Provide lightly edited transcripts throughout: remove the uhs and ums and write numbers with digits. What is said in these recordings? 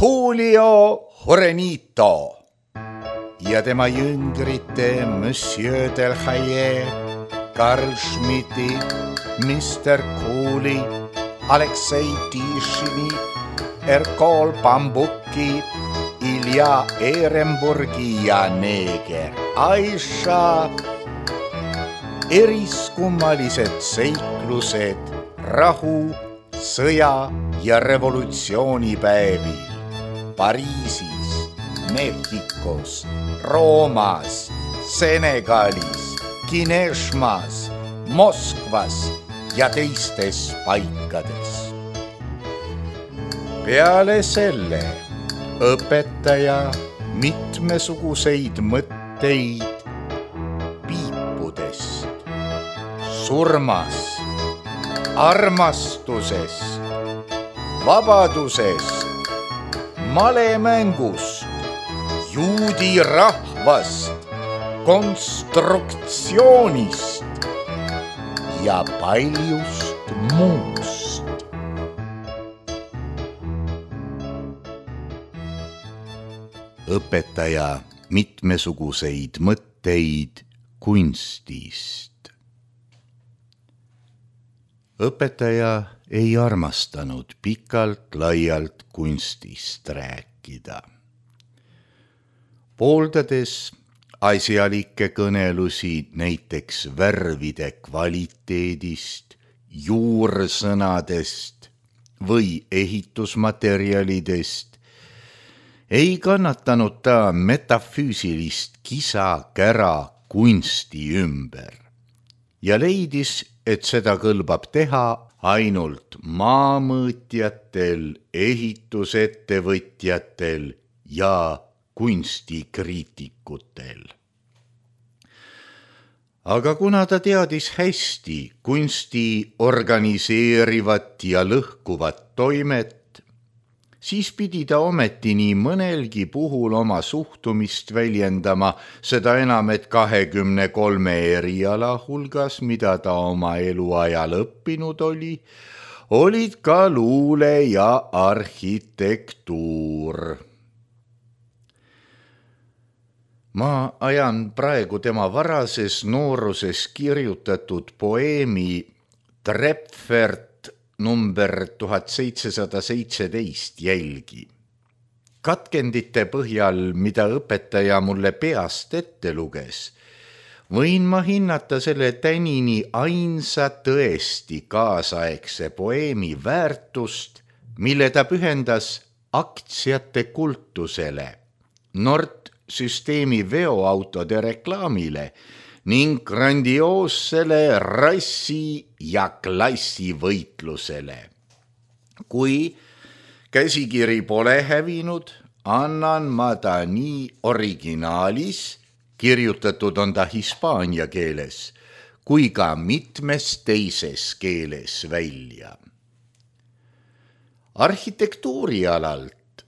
Julio Jorenito ja tema jüngrite Monsieur Delhaye, Karl Schmidti, Mr. Cooley, Aleksei Tishini, Erkol Bambuki, Ilja Ehrenburgi ja neeger Aisha. Eriskummalised seiklused rahu, sõja ja revolutsioonipäevil Pariisis, Mehhikos, Roomas, Senegalis, Kineshmas, Moskvas ja teistes paikades. Peale selle õpetaja mitmesuguseid mõtteid piipudest, surmast, armastusest, vabadusest, malemängust, juudi rahvast, konstruktsioonist ja paljust muust. Õpetaja mitmesuguseid mõtteid kunstist. Õpetaja ei armastanud pikalt-laialt kunstist rääkida. Pooldades asjalikke kõnelusi näiteks värvide kvaliteedist, juursõnadest või ehitusmaterjalidest, ei kannatanud ta metafüüsilist kisa-kära kunsti ümber ja leidis, et seda kõlbab teha ainult maamõõtjatel, ehitusettevõtjatel ja kunstikriitikutel. Aga kuna ta teadis hästi kunsti organiseerivat ja lõhkuvat toimet, siis pidi ta ometi nii mõnelgi puhul oma suhtumist väljendama, seda enam, et 23 eriala hulgas, mida ta oma eluajal õppinud oli, olid ka luule ja arhitektuur. Ma ajan praegu tema varases nooruses kirjutatud poeemi Trepfert number 1717 jälgi. Katkendite põhjal, mida õpetaja mulle peast ette luges, võin ma hinnata selle tänini ainsa tõesti kaasaegse poeemi väärtust, mille ta pühendas aktsiate kultusele, Nord-süsteemi veoautode reklaamile ning grandioossele rassi- ja klassivõitlusele. Kui käsikiri pole hävinud, annan ma ta nii originaalis, kirjutatud on ta hispaania keeles, kui ka mitmes teises keeles välja. Arhitektuurialalt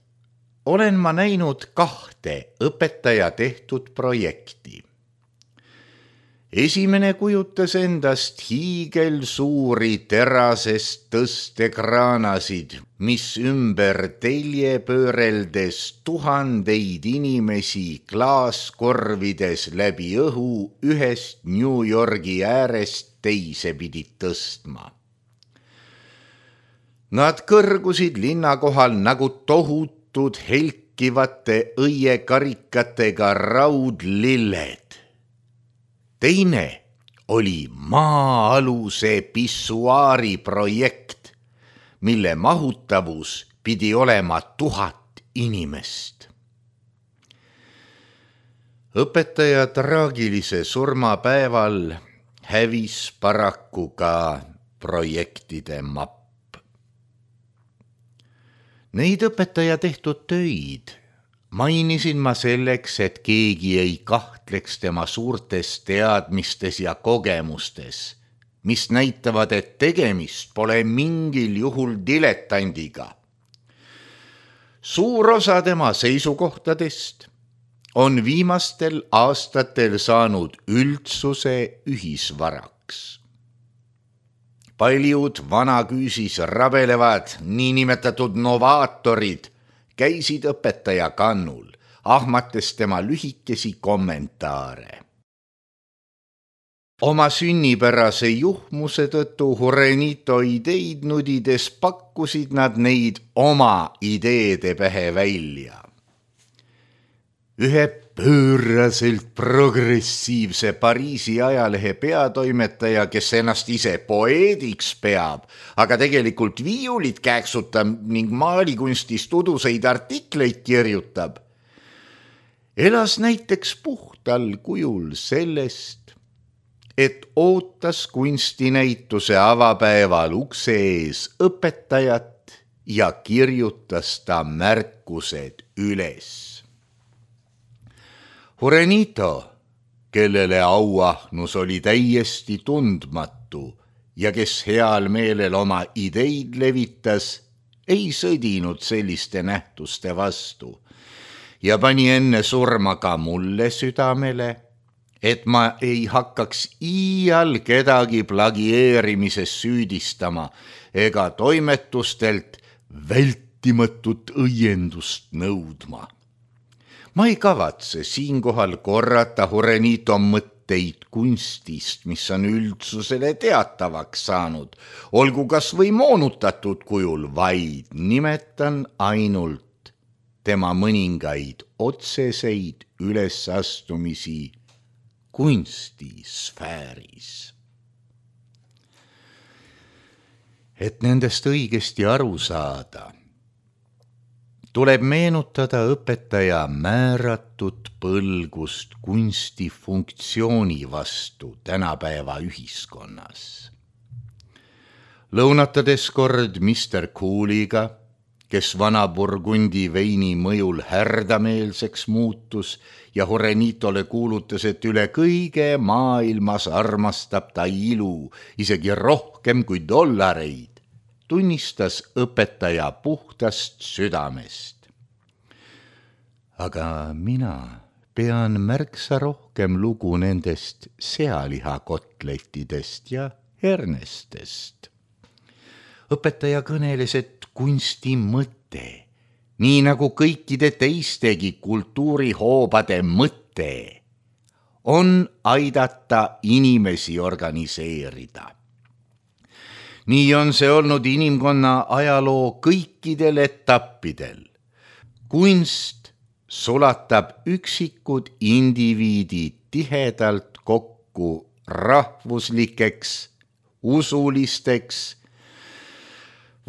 olen ma näinud 2 õpetaja tehtud projekti. Esimene kujutas endast hiigelsuuri terasest tõstekraanasid, mis ümber telje pööreldes tuhandeid inimesi klaaskorvides läbi õhu ühest New Yorgi äärest teise pidid tõstma. Nad kõrgusid linna kohal nagu tohutud helkivate õiekarikatega raudlilled. Teine oli maa-aluse pissuaari projekt, mille mahutavus pidi olema 1000 inimest. Õpetaja traagilise surmapäeval hävis paraku ka projektide mapp. Neid õpetaja tehtud töid mainisin ma selleks, et keegi ei kahtleks tema suurtes teadmistes ja kogemustes, mis näitavad, et tegemist pole mingil juhul diletandiga. Suur osa tema seisukohtadest on viimastel aastatel saanud üldsuse ühisvaraks. Paljud vanaküüsis rabelevad niinimetatud novaatorid, käisid õpetaja kannul, ahmates tema lühikesi kommentaare. Oma sünnipärase juhmuse tõttu Jurenito ideid nudides pakkusid nad neid oma ideede pähe välja. Ühe pööraselt progressiivse Pariisi ajalehe peatoimetaja, kes ennast ise poeediks peab, aga tegelikult viiulit kääksutab ning maalikunstist uduseid artikleid kirjutab, elas näiteks puhtal kujul sellest, et ootas kunstinäituse avapäeval ukse ees õpetajat ja kirjutas ta märkused üles. Jurenito, kellele auahnus oli täiesti tundmatu ja kes heal meelel oma ideid levitas, ei sõdinud selliste nähtuste vastu ja pani enne surma ka mulle südamele, et ma ei hakkaks iial kedagi plagieerimises süüdistama ega toimetustelt vältimatut õiendust nõudma. Ma ei kavatse siinkohal korrata Jurenito mõtteid kunstist, mis on üldsusele teatavaks saanud, olgu kas või moonutatud kujul, vaid nimetan ainult tema mõningaid otseseid ülesastumisi kunstisfääris. Et nendest õigesti aru saada, tuleb meenutada õpetaja määratud põlgust kunsti funktsiooni vastu tänapäeva ühiskonnas. Lõunatades kord Mr. Cooliga, kes vana Burgundi veini mõjul härdameelseks muutus ja Jurenitole kuulutas, et üle kõige maailmas armastab ta ilu, isegi rohkem kui dollareid, tunnistas õpetaja puhtast südamest. Aga mina pean märksa rohkem lugu nendest sealihakotletidest ja hernestest. Õpetaja kõneles, et kunsti mõte, nii nagu kõikide teistegi kultuurihoobade mõte, on aidata inimesi organiseerida. Nii on see olnud inimkonna ajaloo kõikidel etappidel. Kunst sulatab üksikud indiviidid tihedalt kokku rahvuslikeks, usulisteks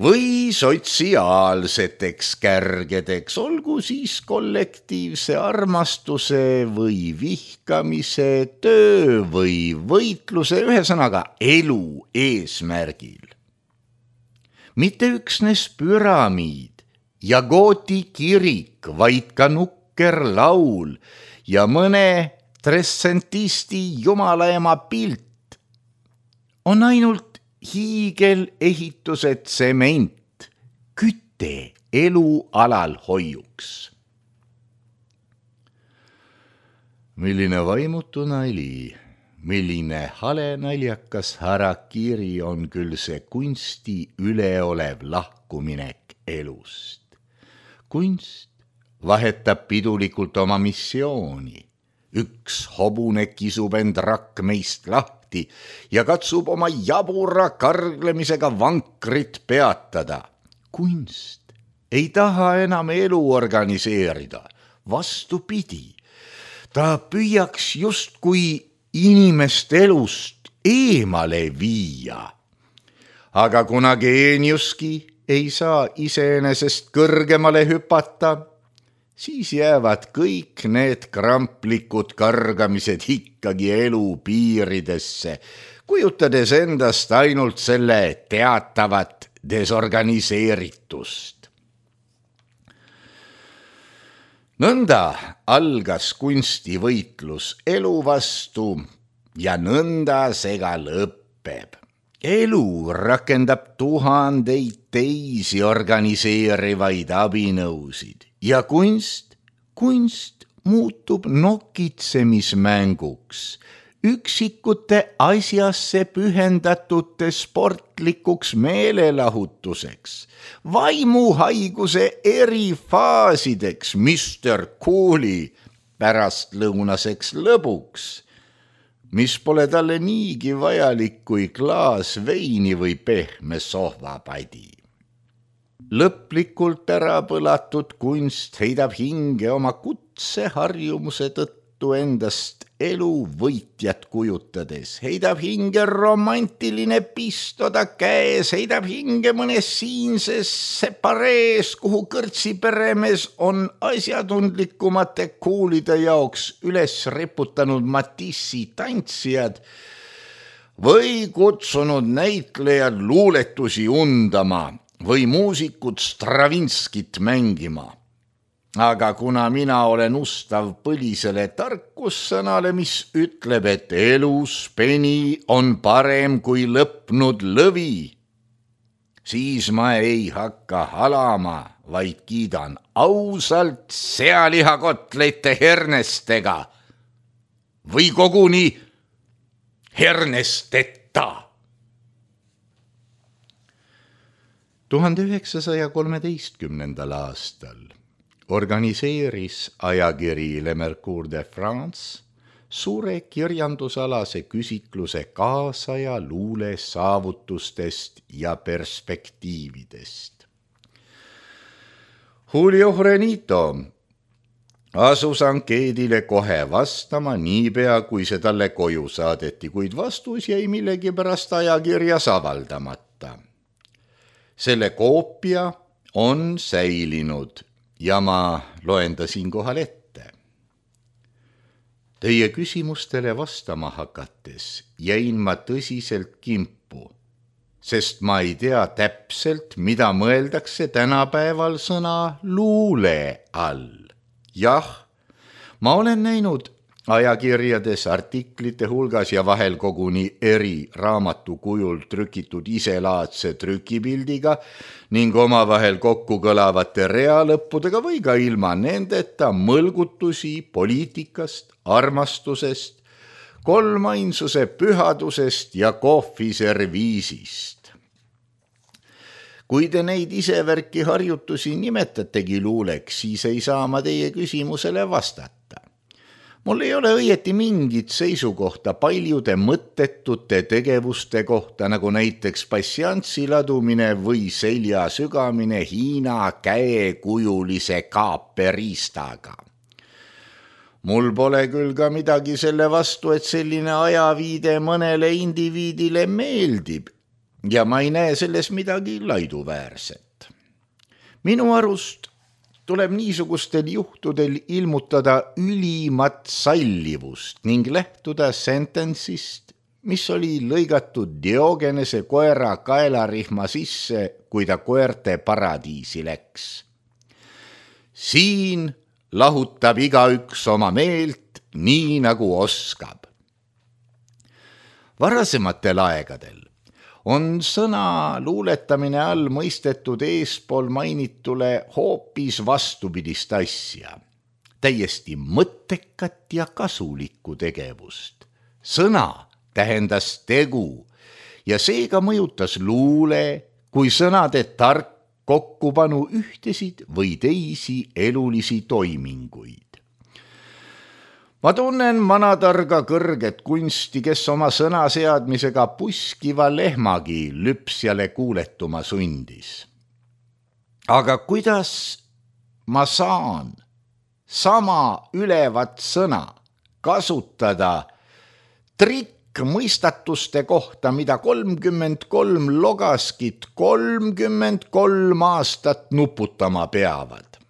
või sotsiaalseteks kärgedeks, olgu siis kollektiivse armastuse või vihkamise, töö või võitluse, ühesõnaga elu eesmärgil. Mitte üksnes püramiid ja Gooti kirik, vaid ka nukker laul ja mõne trescentisti jumalaema pilt on ainult hiigelehitused tsement, küte elualal hoiuks. Milline vaimutu nali, milline hale naljakas harakiri on küll see kunsti üleolev lahkuminek elust. Kunst vahetab pidulikult oma missiooni. Üks hobune kisub end rakmeist lahti ja katsub oma jabura karglemisega vankrit peatada. Kunst ei taha enam elu organiseerida, vastupidi. Ta püüaks justkui inimest elust eemale viia. Aga kuna geeniuski ei saa iseenesest kõrgemale hüpata, siis jäävad kõik need kramplikud kargamised ikkagi elu piiridesse, kujutades endast ainult selle teatavat desorganiseeritust. Nõnda algas kunstivõitlus elu vastu ja nõnda see ka lõpeb. Elu rakendab tuhandeid teisi organiseerivaid abinõusid ja kunst muutub nokitsemismänguks, üksikute asjasse pühendatute sportlikuks meelelahutuseks, vaimuhaiguse erifaasideks, Mr. Cool'i pärastlõunaseks lõbuks, mis pole talle niigi vajalik kui klaas veini või pehme sohvapadi. Lõplikult ära põlatud kunst heidab hinge oma kutseharjumuse tõttu endast elu võitjat kujutades, heidab hinge romantiline pistoda käes, heidab hinge mõnes siinses separees, kuhu kõrtsiperemees on asjatundlikumate kuulide jaoks üles riputanud Matissi tantsijad või kutsunud näitlejad luuletusi undama või muusikud Stravinskit mängima. Aga kuna mina olen ustav põlisele tarkussõnale, mis ütleb, et elus peni on parem kui lõpnud lõvi, siis ma ei hakka halama, vaid kiidan ausalt sealihakotlete hernestega või koguni hernesteta. 1913. aastal organiseeris ajakiri Le Mercure de France suure kirjandusalase küsitluse kaasaja luule saavutustest ja perspektiividest. Julio Frenito asus ankeedile kohe vastama niipea, kui see talle koju saadeti, kuid vastus jäi millegipärast ajakirjas avaldamata. Selle koopia on säilinud ja ma loen ta siinkohal ette. Teie küsimustele vastama hakates jäin ma tõsiselt kimpu, sest ma ei tea täpselt, mida mõeldakse tänapäeval sõna luule all. Jah, ma olen näinud ajakirjades artiklite hulgas ja vahel koguni eri raamatu kujul trükitud iselaadse trükipildiga ning omavahel kokku kõlavate reaalõppudega või ka ilma nendeta mõlgutusi poliitikast, armastusest, kolmainsuse pühadusest ja kohviserviisist. Kui te neid isevärki harjutusi nimetategi luuleks, siis ei saa ma teie küsimusele vastata. Mul ei ole õieti mingit seisukohta paljude mõttetute tegevuste kohta, nagu näiteks passianssi ladumine või selja sügamine Hiina käekujulise kaaperiistaga. Mul pole küll ka midagi selle vastu, et selline ajaviide mõnele indiviidile meeldib ja ma ei näe selles midagi laiduväärset. Minu arust tuleb niisugustel juhtudel ilmutada ülimat sallivust ning lähtuda sententsist, mis oli lõigatud Diogenese koera kaelarihma sisse, kui ta koerte paradiisi läks. Siin lahutab igaüks oma meelt nii, nagu oskab. Varasematel aegadel on sõna luuletamine all mõistetud eespool mainitule hoopis vastupidist asja, täiesti mõttekat ja kasulikku tegevust. Sõna tähendas tegu ja seega mõjutas luule kui sõnade tark kokkupanu ühtesid või teisi elulisi toiminguid. Ma tunnen manatarga kõrget kunsti, kes oma sõnaseadmisega puskiva lehmagi lüpsjale kuuletuma sundis. Aga kuidas ma saan sama ülevat sõna kasutada trikkmõistatuste kohta, mida 33 logaskit 33 aastat nuputama peavad?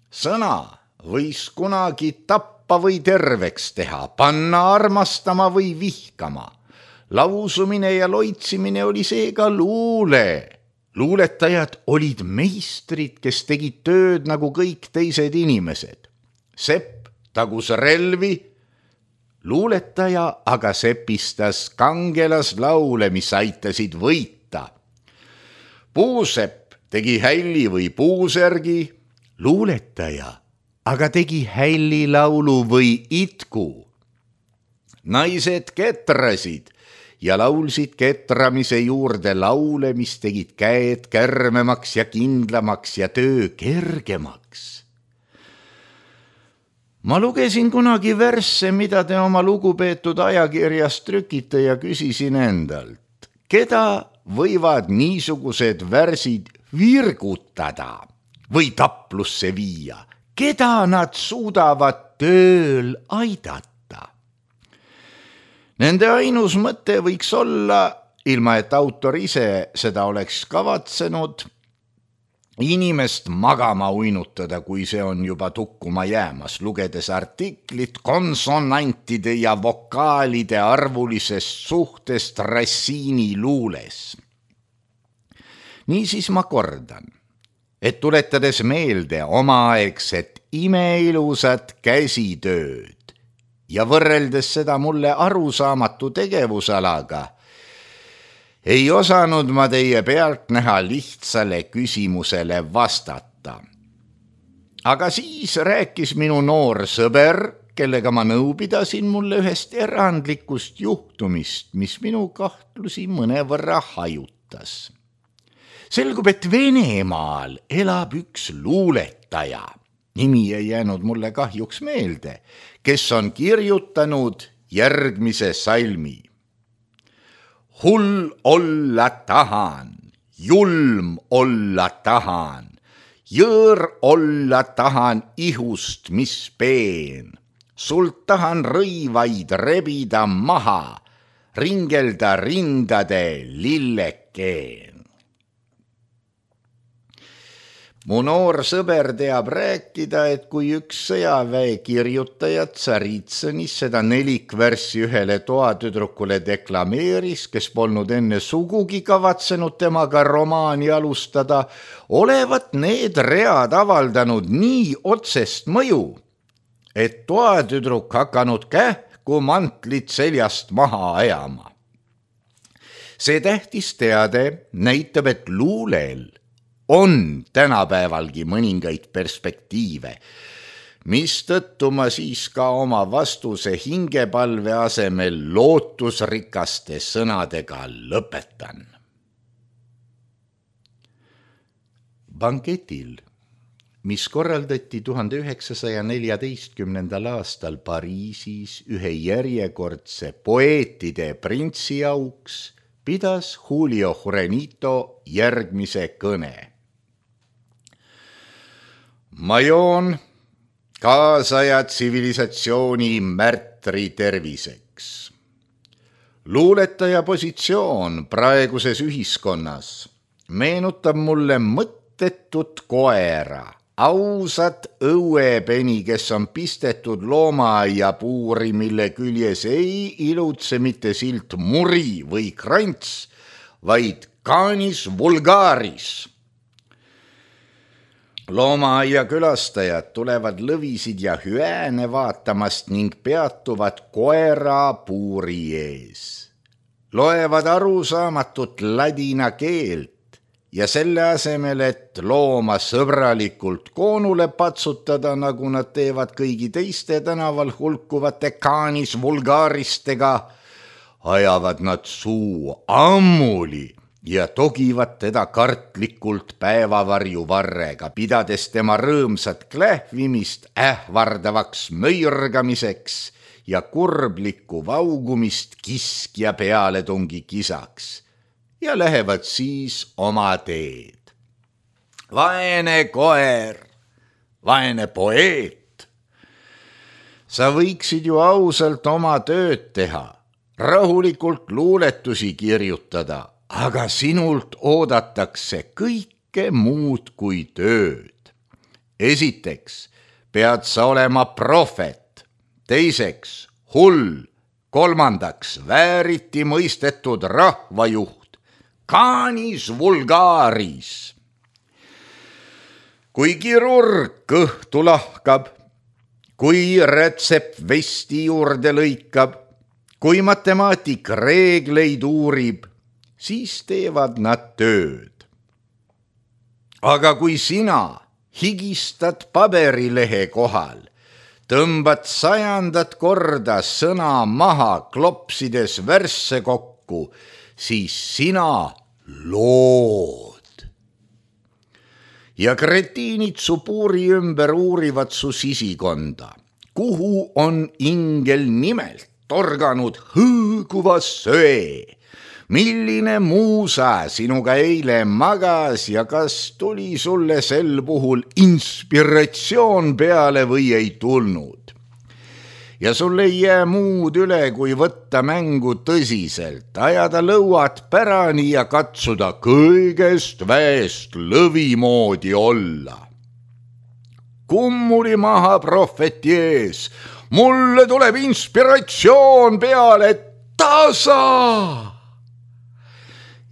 Sõna võis kunagi tappa või terveks teha, panna armastama või vihkama. Lausumine ja loitsimine oli seega luule. Luuletajad olid meistrid, kes tegid tööd nagu kõik teised inimesed. Sepp tagus relvi, luuletaja aga sepistas kangelaslaule, mis aitasid võita. Puusepp tegi hälli või puusärgi, luuletaja aga tegi hällilaulu või itku. naised ketrasid ja laulsid ketramise juurde laule, mis tegid käed kärmemaks ja kindlamaks ja töö kergemaks. Ma lugesin kunagi versse, mida te oma lugupeetud ajakirjas trükite ja küsisin endalt, keda võivad niisugused värsid virgutada või taplusse viia, keda nad suudavad tööl aidata. Nende ainus mõte võiks olla, ilma et autor ise seda oleks kavatsenud, inimest magama uinutada, kui see on juba tukkuma jäämas, lugedes artiklit konsonantide ja vokaalide arvulisest suhtest Rassiini luules. Niisiis ma kordan, et tuletades meelde omaaegset imeilusat käsitööd ja võrreldes seda mulle arusaamatu tegevusalaga, ei osanud ma teie pealt näha lihtsale küsimusele vastata. Aga siis rääkis minu noor sõber, kellega ma nõu pidasin, mulle ühest erandlikust juhtumist, mis minu kahtlusi mõnevõrra hajutas. Selgub, et Venemaal elab üks luuletaja, nimi ei jäänud mulle kahjuks meelde, kes on kirjutanud järgmise salmi. Hull olla tahan, julm olla tahan, jõõr olla tahan ihust, mis peen. Sult tahan rõivaid rebida maha, ringelda rindade lillekeen. Mu noor sõber teab rääkida, et kui üks sõjaväe kirjutajat Tsaritsõnis seda nelikvärssi ühele toatüdrukule deklameeris, kes polnud enne sugugi kavatsenud temaga romaani alustada, olevat need read avaldanud nii otsest mõju, et toatüdruk hakanud kähku mantlit seljast maha ajama. See tähtis teade näitab, et luulel on tänapäevalgi mõningaid perspektiive, mistõttu ma siis ka oma vastuse hingepalve asemel lootusrikaste sõnadega lõpetan. Banketil, mis korraldati 1914. aastal Pariisis ühe järjekordse poeetide printsi auks, pidas Julio Jurenito järgmise kõne. Ma joon kaasaja tsivilisatsiooni märtri terviseks. Luuletaja positsioon praeguses ühiskonnas meenutab mulle mõttetut koera, ausat õuepeni, kes on pistetud loomaaia puuri, mille küljes ei ilutse mitte silt muri või krants, vaid canis vulgaris. Loomaaia külastajad tulevad lõvisid ja hüääne vaatamast ning peatuvad koera puuri ees. Loevad arusaamatut ladina keelt ja selle asemel, et looma sõbralikult koonule patsutada, nagu nad teevad kõigi teiste tänaval hulkuvate canis vulgaristega, ajavad nad suu ammuli ja togivad teda kartlikult päevavarju varrega, pidades tema rõõmsat klähvimist ähvardavaks möirgamiseks ja kurblikku vaugumist kiskja pealetungi kisaks ja lähevad siis oma teed. Vaene koer, vaene poeet. Sa võiksid ju ausalt oma tööd teha, rahulikult luuletusi kirjutada, aga sinult oodatakse kõike muud kui tööd. Esiteks pead sa olema prohvet, teiseks hull, kolmandaks vääriti mõistetud rahvajuht, canis vulgaris. Kui kirurg kõhtu lahkab, kui rätsepp vesti juurde lõikab, kui matemaatik reegleid uurib, siis teevad nad tööd. Aga kui sina higistad paberilehe kohal, tõmbad 100. korda sõna maha, klopsides värsse kokku, siis sina lood. Ja kretiinid su puuri ümber uurivad su sisikonda, kuhu on ingel nimelt torganud hõõguva söe. Milline muusa sinuga eile magas ja kas tuli sulle sel puhul inspiratsioon peale või ei tulnud? Ja sul ei jää muud üle, kui võtta mängu tõsiselt, ajada lõuad pärani ja katsuda kõigest väest lõvi moodi olla. Kummuli maha prohveti ees, mulle tuleb inspiratsioon peale, tasa!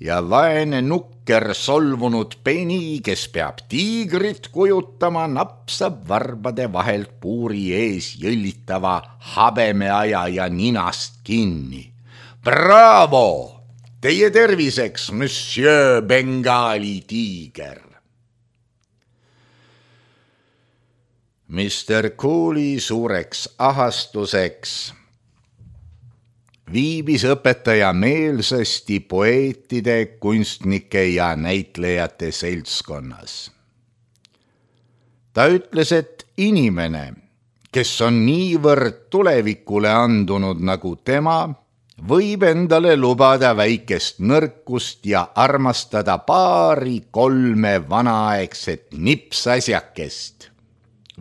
Ja vaene nukker solvunud peni, kes peab tiigrit kujutama, napsab varbade vahelt puuri ees jõllitava habemeaja ja ninast kinni. Bravo! Teie terviseks, monsieur Bengali tiiger! Mr. Cooley suureks ahastuseks viibis õpetaja meelsasti poeetide, kunstnike ja näitlejate seltskonnas. Ta ütles, et inimene, kes on niivõrd tulevikule andunud nagu tema, võib endale lubada väikest nõrkust ja armastada 2-3 vanaaegset nipsasjakest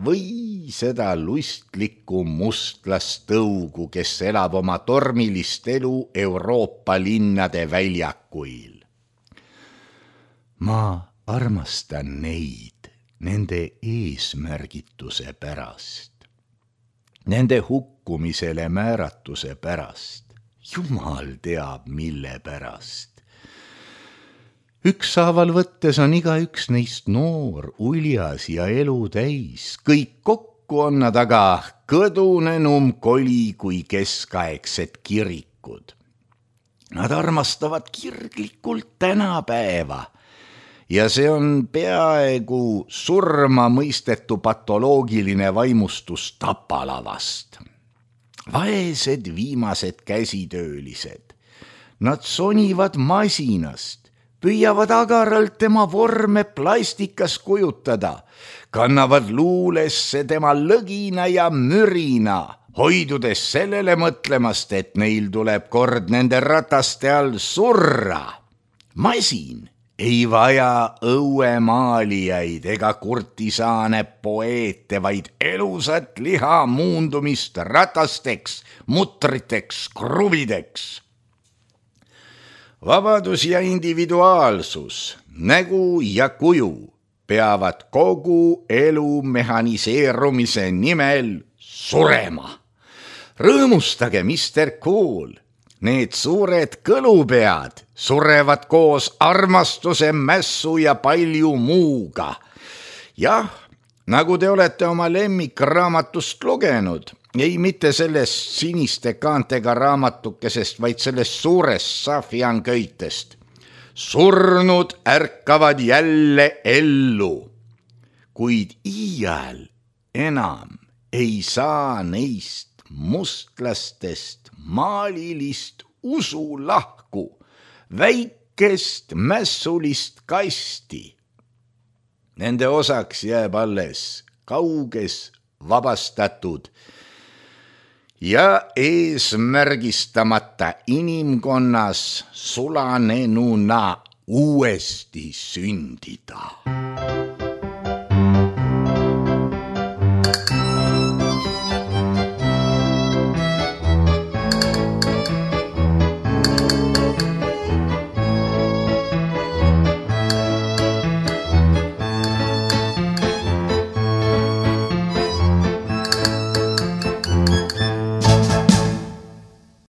või seda lustlikku mustlastõugu, kes elab oma tormilist elu Euroopa linnade väljakuil. Ma armastan neid nende eesmärgituse pärast, nende hukkumisele määratuse pärast, jumal teab mille pärast. Ükshaaval võttes on igaüks neist noor, uljas ja elu täis. Kõik kokku on nad aga kõdunenum koli kui keskaegsed kirikud. Nad armastavad kirglikult tänapäeva ja see on peaaegu surma mõistetu patoloogiline vaimustus tapalavast. Vaesed viimased käsitöölised, nad sonivad masinast, püüavad agaralt tema vorme plastikas kujutada, kannavad luulesse tema lõgina ja mürina, hoidudes sellele mõtlemast, et neil tuleb kord nende rataste all surra. Masin ei vaja õuemaalijaid ega kurtisaane poeete, vaid elusat liha muundumist ratasteks, mutriteks, kruvideks. Vabadus ja individuaalsus, nägu ja kuju peavad kogu elu mehaniseerumise nimel surema. Rõõmustage, Mr. Cool, need suured kõlupead surevad koos armastuse, mässu ja palju muuga. Jah, nagu te olete oma lemmikraamatust lugenud, ei mitte sellest siniste kaantega raamatukesest, vaid sellest suurest safianköitest. Surnud ärkavad jälle ellu, kuid iial enam ei saa neist mustlastest maalilist usu lahku, väikest mässulist kasti. Nende osaks jääb alles kauges vabastatud ja eesmärgistamata inimkonnas sulanenuna uuesti sündida.